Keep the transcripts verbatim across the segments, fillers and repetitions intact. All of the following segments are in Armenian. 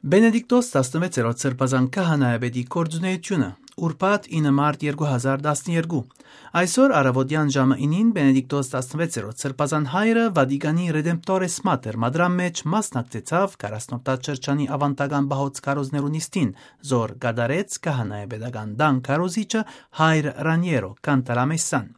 Բենեդիկտոս տասնվեցերորդ սրբազան քահանայապետի կորձունեությունը ուրբաթ ինը մարտ երկու հազար տասնյոթ Այսօր առավոտյան ժամը ինին Բենեդիկտոս տասնվեցերորդ սրբազան հայրը Վատիկանի Redemptoris Mater մադրամ մեջ մասնակցեցավ քառասնորդած շրջանի ավանդական բահոց քարոզներու նիստին, զոր գդարեց քահանայապետական դան քարոզիչը հայր Ռանիերո Կանտալամեսան։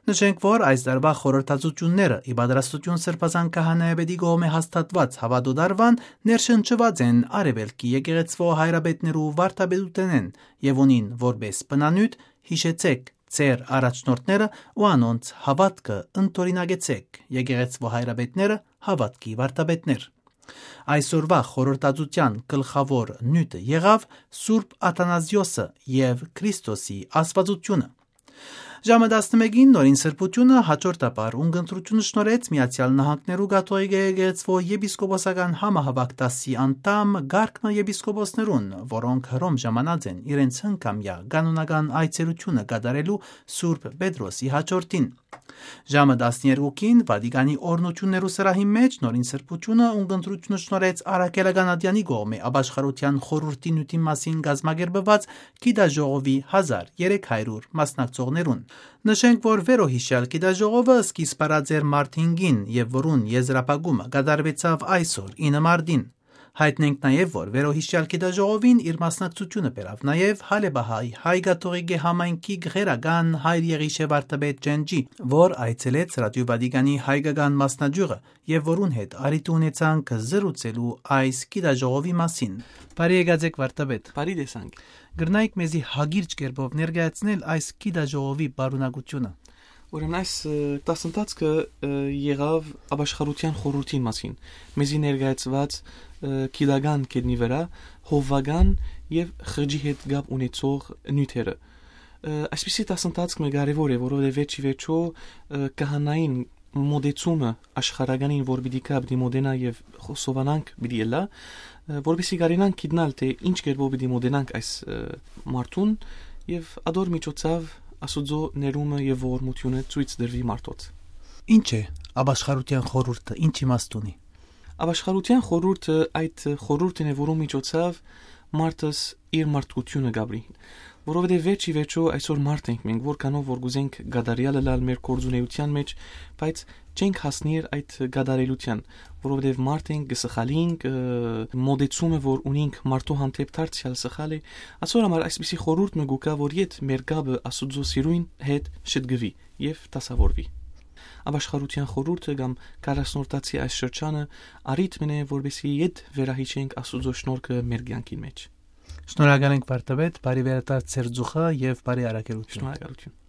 Նշենք, որ այս դարվա խորհրդածությունները ի պատրաստություն սրբազան քահանայապետի կողմէ հաստատված հավատոդարվան ներշնչված են արևելքի եկեղեցվո հայրապետներու վարդապետութենեն եւ ունին որպես բնանյութ հիշեցեք ձեր առաջնորդները ու անոնց հավատքը ընտորինագեցեք եկեղեցվո հայրապետները հավատքի վարդապետներ։ Այսօրվա խորհրդածության գլխավոր նյութը եղավ Սուրբ Աթանազիոսը եւ Քրիստոսի աստվածությունը։ Ժամը տասնմեկին նորին սրբությունը հաջորդաբար ունգընտրությունը շնորհեց Միացյալ Նահանգներու կաթողիկ եկեղեցվո եպիսկոպոսական համահավաք դասի անդամ Գարկնո եպիսկոպոսներուն, որոնք Հռոմ ժամանած են իրենց հնգամյա կանոնական այցելությունը կատարելու Սուրբ Պետրոսի հաջորդին։ Ժամը տասներկուին Վատիկանի օրնություններու սրահի մեջ նորին սրբությունը ունգընտրությունը շնորհեց Արաքելական ադյանի կողմէ ապաշխարության խորհրդի նյութի մասին գազմագերբված գիտաժողովի հազար երեք հարյուր մասնակցողներուն։ Նշենք, որ վերոհիշյալ գիտաժողովը սկիզբ առած էր մարտ հինգին եւ որուն եզրափակումը կատարվեցավ այսօր ինը մարտին։ Հայտնենք նաև, որ վերոհիշյալ գիտաժողովին իր մասնակցությունը բերավ նաև Հալեբահայ հայ կաթողիկե համայնքի գղերական հայր Եղիշե վարդապետ Ջենջի, որ այցելեց Ռադիո Վատիկանի հայկական մասնաճյուղը եւ որուն հետ արիթ ունեցանք զրուցելու այս գիտաժողովի մասին։ Բարի եկած վարդապետ։ Բարի տեսանք։ Գրնայք մեզի հագիրճ կերպով ներկայացնել այս գիտաժողովի բարունակությունը։ Ուրեմն այս դասընթացքը եղավ ապաշխարության խորհրդի մասին։ Մեզի ներկայացված քիդական կետնի վրա հովվական եւ խրճի հետ գապ ունեցող նյութերը։ Այսպիսի դասընթացք մը կարևոր է, որովհետեւ վերջի վերջո քահանային մոդեցումը աշխարհականին, որ պիտի կապ դիմոդենա եւ խոսովանանք պիտի ելա, որովհետեւ կարենանք գիտնալ թե ինչ կերպով պիտի մոդենանք այս մարդուն եւ ադոր միջոցով Աստուծո ներումը եւ ողորմությունը ցույց դրվի մարդոց։ Ինչ է ապաշխարության խորհուրդը, ինչ իմաստ ունի։ Ապաշխարության խորհուրդը այդ խորհուրդն է, որում միջոցով մարդս իր մարդկությունը գաբրի, որովհետեւ վերջի վերջո այսօր մարդ ենք մենք, որքանով որ գուզենք գադարյալը լալ մեր կորձունեության մեջ, բայց չենք հասնիր այդ գադարելության, որովհետեւ մարդ ենք գսխալինք մոդեցումը, որ ունենք մարդու հանդեպ դարձյալ սխալ է, այսօր համար այսպիսի խորհուրդ մը գուկա, որ իդ մեր գաբը Աստուծո սիրույն հետ շտգվի եւ տասավորվի։ Ապաշխարության խորհուրդը կամ քառասնորդացի այս շրջանը արիթ մնե, որովհետեւ իդ վերահիշենք Աստուծո շնորհքը մեր կյանքի մեջ։ Շնորհակալ ենք վարդապետ, բարի վերադարձ ձեր ձուխը եւ բարի արաքելություն։ Շնորհակալություն։